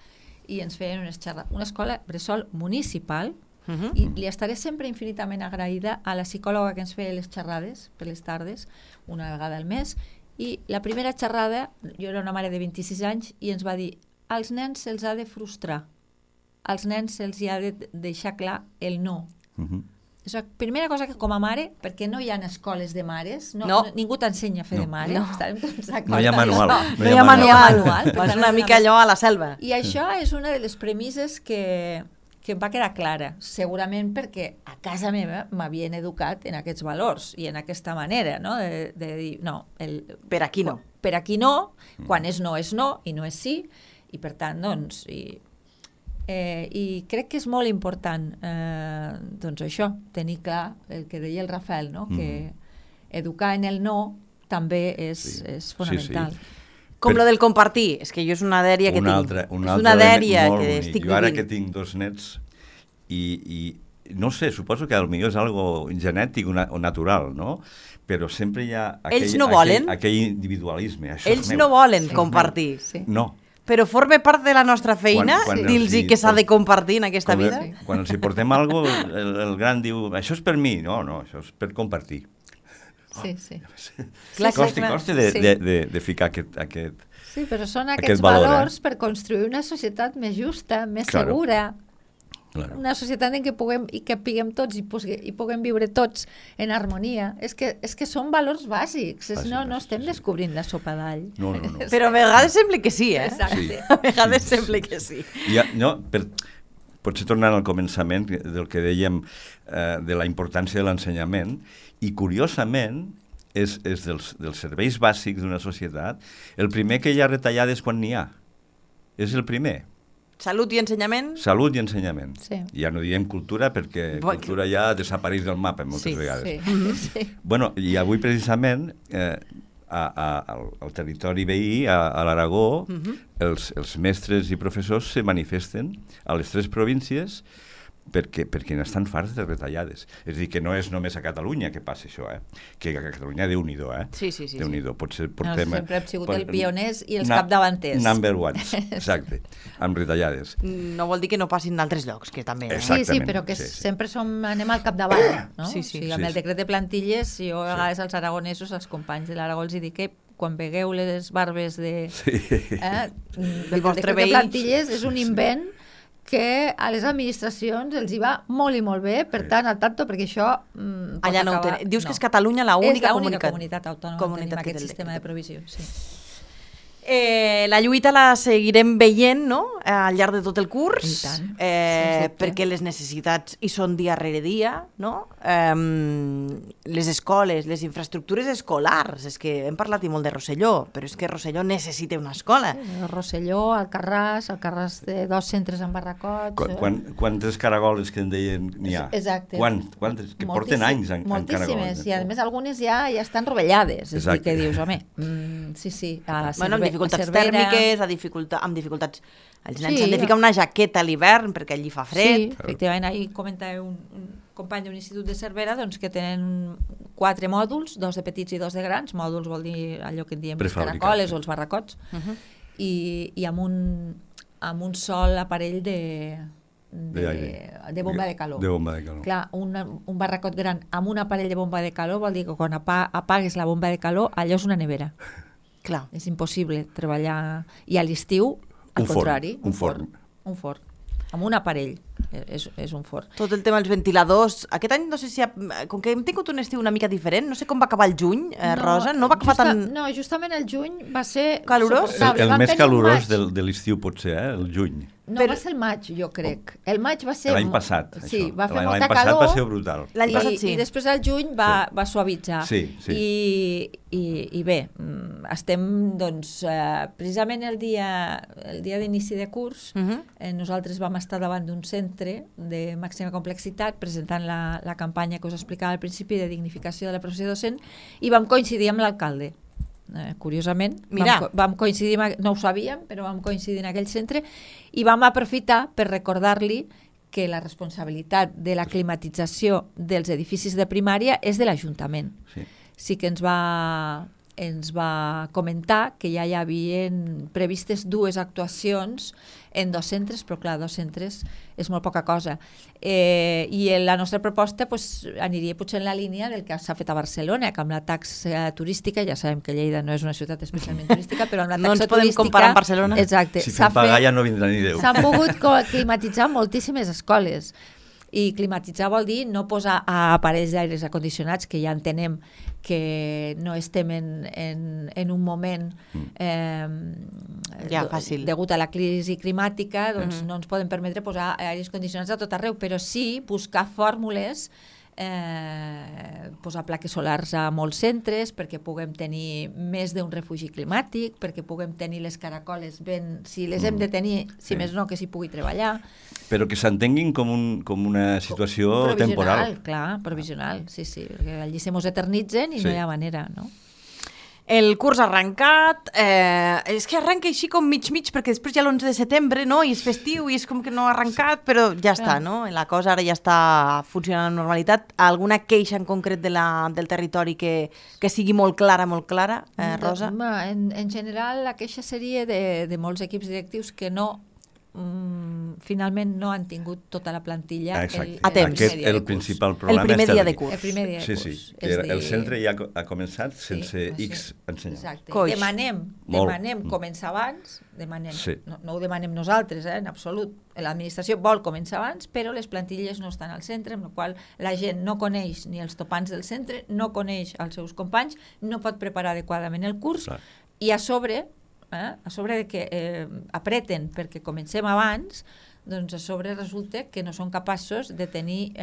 i ens feien una escola bressol municipal, I li estaré sempre infinitament agraïda a la psicòloga que ens feia les xerrades per les tardes, una vegada al mes, i la primera xerrada, jo era una mare de 26 anys, i ens va dir, als nens se'ls ha de frustrar, als nens se'ls ha de deixar clar el no. És la primera cosa que com a mare, perquè no hi ha escoles de mares, ningú t'ensenya a fer de mare. No hi ha manual. No hi ha manual. És una mica allò a la selva. I això és una de les premisses que em va quedar clara, segurament perquè a casa meva m'havien educat en aquests valors i en aquesta manera, no? De dir, no. Per aquí no. Per aquí no, quan és no i no és sí, i per tant, doncs... I crec que és molt important doncs això, tenir clar el que deia el Rafael, no? Que educar en el no també és fonamental. Com lo del compartir, és que jo és una dèria que tinc. És una dèria que estic vivint. Jo ara que tinc 2 nets i no sé, suposo que potser és algo genètic o natural, no? Però sempre hi ha aquell individualisme. Ells no volen compartir. No. Però forma part de la nostra feina dir-los que s'ha de compartir en aquesta vida? Quan els hi portem alguna cosa, el gran diu, això és per mi. No, això és per compartir. Sí. Costa de ficar aquest... Sí, però són aquests valors per construir una societat més justa, més segura, una societat en què puguem tots i puguem viure tots en harmonia. És que són valors bàsics, no estem descobrint la sopa d'all. No. Però a vegades sembla que sí, Exacte. A vegades sembla que sí. Potser tornant al començament del que dèiem de la importància de l'ensenyament, i curiosament és dels serveis bàsics d'una societat el primer que hi ha retallades quan n'hi ha. És el primer. Salut i ensenyament? Salut i ensenyament. Sí. Ja no diem cultura perquè cultura ja desapareix del mapa moltes vegades. Sí. Bueno, i avui precisament al territori veí, a l'Aragó, els mestres i professors se manifesten a les 3 províncies perquè n'estan farts de retallades. És a dir, que no és només a Catalunya que passa això, que a Catalunya Déu-n'hi-do, Sí. Déu-n'hi-do. Potser portem... Sempre hem sigut els pioners i els capdavanters. Number ones, exacte, amb retallades. No vol dir que no passin d'altres llocs, que també... Sí, però que sempre anem al capdavant, no? Sí. O sigui, amb el decret de plantilles, jo a vegades als aragonesos, als companys de l'Aragó els dic que quan vegueu les barbes del vostre decret de plantilles és un invent que a les administracions els hi va molt i molt bé, per tant, al tanto, perquè això allà no ho tenen. Dius que és Catalunya l'única comunitat autònoma que tenim aquest sistema de provisió. Sí. La lluita la seguirem veient, no?, al llarg de tot el curs, I tant, perquè les necessitats hi són dia rere dia, no? Les escoles, les infraestructures escolars, és que hem parlat i molt de Rosselló, però és que Rosselló necessita una escola. Rosselló, Alcarràs té 2 centres en barracots. Quantes caragoles que en deien n'hi ha? Exacte. Quantes? Que porten anys en caragoles. Moltíssimes, i a més algunes ja estan rovellades, és a dir, que dius, home, sí, amb dificultats tèrmiques, amb dificultats... Els nens s'han de ficar una jaqueta a l'hivern perquè allí fa fred. Sí, efectivament, ahir comentava un company d'un institut de Cervera doncs, que tenen 4 mòduls, 2 de petits i 2 de grans. Mòduls vol dir allò que en diem les caracoles o els barracots, i amb un sol aparell de bomba de calor. De bomba de calor. Clar, un barracot gran amb un aparell de bomba de calor vol dir que quan apagues la bomba de calor allò és una nevera. Clar. És impossible treballar. I a l'estiu, al contrari, un forn. Amb un aparell, és un forn. Tot el tema dels ventiladors, aquest any no sé si com que hem tingut un estiu una mica diferent, no sé com va acabar el juny, Rosa, no va acabar tan... No, justament el juny va ser... Calorós? El més calorós de l'estiu potser, el juny. No, va ser el maig, jo crec. El maig va ser... L'any passat, sí, això. va fer molta calor. L'any passat va ser brutal. L'any passat sí. I després el juny va suavitzar. Sí. I bé, estem, doncs, precisament el dia d'inici de curs, nosaltres vam estar davant d'un centre de màxima complexitat presentant la campanya que us explicava al principi de dignificació de la professió docent i vam coincidir amb l'alcalde. Curiosament, vam coincidir, no ho sabíem, però vam coincidir en aquell centre i vam aprofitar per recordar-li que la responsabilitat de la climatització dels edificis de primària és de l'Ajuntament. Sí que ens va ens va comentar que ja hi havien previstes 2 actuacions en 2 centres, però clar, 2 centres és molt poca cosa. I la nostra proposta aniria potser en la línia del que s'ha fet a Barcelona, que amb la taxa turística, ja sabem que Lleida no és una ciutat especialment turística, però amb la taxa turística... No ens podem comparar amb Barcelona. Exacte. Si fem pagar ja no vindrà ni Déu. S'han pogut climatitzar moltíssimes escoles. I climatitzar vol dir no posar aparells d'aires acondicionats, que ja entenem que no estem en un moment fàcil. degut a la crisi climàtica, doncs no ens podem permetre posar aires condicionats a tot arreu, però sí buscar fórmules, posar plaques solars a molts centres perquè puguem tenir més d'un refugi climàtic, perquè puguem tenir les caracoles ben, si les hem de tenir, si més no, que s'hi pugui treballar. Però que s'entenguin com una situació temporal. Clar, provisional, sí, perquè allí se mos eternitzen i no hi ha manera, no? El curs ha arrencat, és que arrenca així com mig, perquè després ja l'11 de setembre, no?, i és festiu i és com que no ha arrencat, però ja està, no? La cosa ara ja està funcionant amb normalitat. Alguna queixa en concret del territori que sigui molt clara, Rosa? En general, la queixa seria de molts equips directius que finalment no han tingut tota la plantilla a temps. El principal problema el primer dia de curs. El primer dia de curs. Sí, el centre ja ha començat sense X ensenyants. Demanem començar abans, no ho demanem nosaltres, en absolut. L'administració vol començar abans, però les plantilles no estan al centre, amb la qual la gent no coneix ni els topants del centre, no coneix els seus companys, no pot preparar adequadament el curs, i a sobre de que apreten perquè comencem abans, doncs a sobre resulta que no són capaços de tenir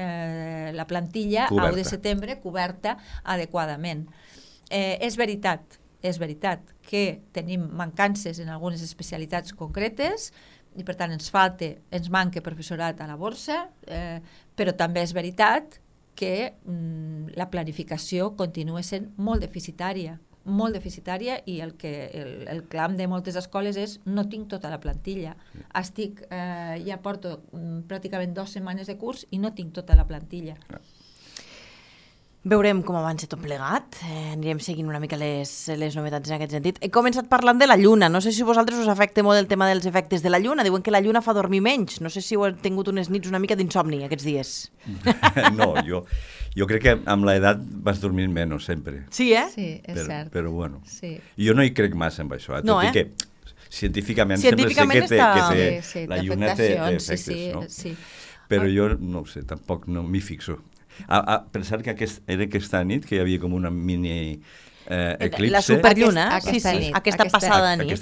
la plantilla a 1 de setembre coberta adequadament. És veritat que tenim mancances en algunes especialitats concretes i per tant ens manca professorat a la borsa, però també és veritat que la planificació continua sent molt deficitària i el clam de moltes escoles és no tinc tota la plantilla. Ja porto pràcticament 2 setmanes de curs i no tinc tota la plantilla. Veurem com avança tot plegat, anirem seguint una mica les novetats en aquest sentit. He començat parlant de la lluna, no sé si a vosaltres us afecta molt el tema dels efectes de la lluna, diuen que la lluna fa dormir menys, no sé si heu tingut unes nits una mica d'insomni aquests dies. No, jo crec que amb l'edat vas dormir menys sempre. Sí, Sí, és cert. Però bueno, sí. Jo no hi crec massa en això, tot i que científicament sempre sé que la lluna té efectes, no? Sí. Però jo no ho sé, tampoc no m'hi fixo. A pensar que era aquesta nit que hi havia com una mini eclipse. La superlluna, aquesta passada nit.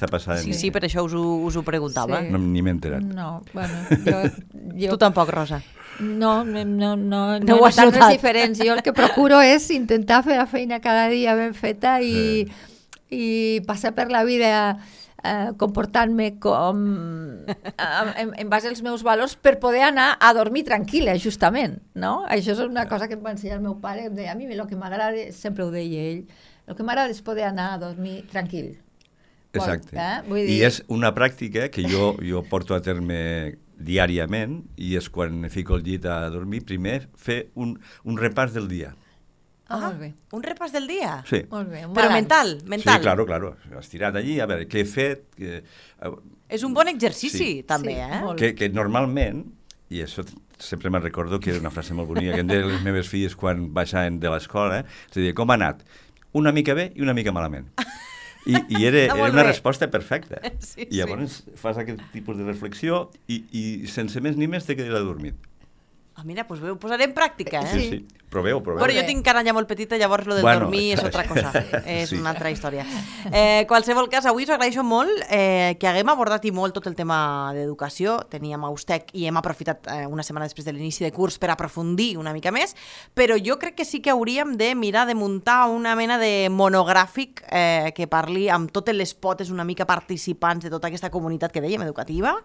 Sí, per això us ho preguntava. No, ni m'he enterat. No, bueno, Tu tampoc, Rosa. No ho has notat notat. res diferents. Jo el que procuro és intentar fer la feina cada dia ben feta i passar per la vida comportant-me com en base als meus valors per poder anar a dormir tranquil·la, justament, no? Això és una cosa que em va ensenyar el meu pare, em deia, a mi el que m'agrada, sempre ho deia ell, el que m'agrada és poder anar a dormir tranquil. Exacte. I és una pràctica que jo porto a terme diàriament i és quan me fico al llit a dormir, primer fer un repàs del dia. Molt bé. Un repàs del dia? Sí. Molt bé. Però mental. Sí, claro. Estirat allí, a veure, què he fet... És un bon exercici, també, Que normalment, i això sempre me'n recordo que era una frase molt bonica que em deien les meves filles quan baixaven de l'escola, és a dir, com ha anat? Una mica bé i una mica malament. I era una resposta perfecta. I llavors fas aquest tipus de reflexió i sense més ni més te quedes adormit. Mira, doncs ho posaré en pràctica, Sí. Proveu. Però jo tinc cara ja molt petita, llavors lo del dormir és altra cosa, és una altra història. Qualsevol cas, avui us agraeixo molt que haguem abordat i molt tot el tema d'educació. Teníem a Ustec i hem aprofitat una setmana després de l'inici de curs per aprofundir una mica més, però jo crec que sí que hauríem de mirar de muntar una mena de monogràfic que parli amb totes les potes una mica participants de tota aquesta comunitat que dèiem, educativa,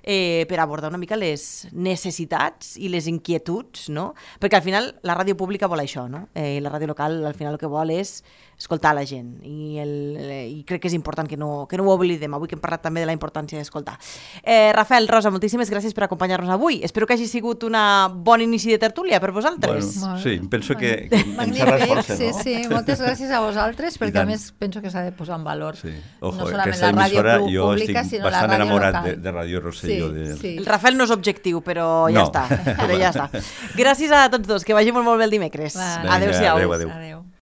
per abordar una mica les necessitats i les inquietuds, no? Perquè al final la ràdio pública vol això, no? La ràdio local al final el que vol és escoltar la gent i crec que és important que no ho oblidem, avui que hem parlat també de la importància d'escoltar. Rafael, Rosa, moltíssimes gràcies per acompanyar-nos avui. Espero que hagi sigut una bon inici de tertúlia per vosaltres. Bueno, sí, penso que ens ha reforçat, sí, no? sí, moltes gràcies a vosaltres, perquè a més penso que s'ha de posar en valor Sí. no Ojo, solament aquesta la ràdio emissora, jo pública, estic sinó la bastant ràdio enamorat local. de Ràdio Rosselló. Sí. El Rafael no és objectiu, però ja No. està. Gràcies a tots dos, que vagi molt bé el dimecres. Va. Vinga, Adéu-siau. adéu, adéu. Adéu.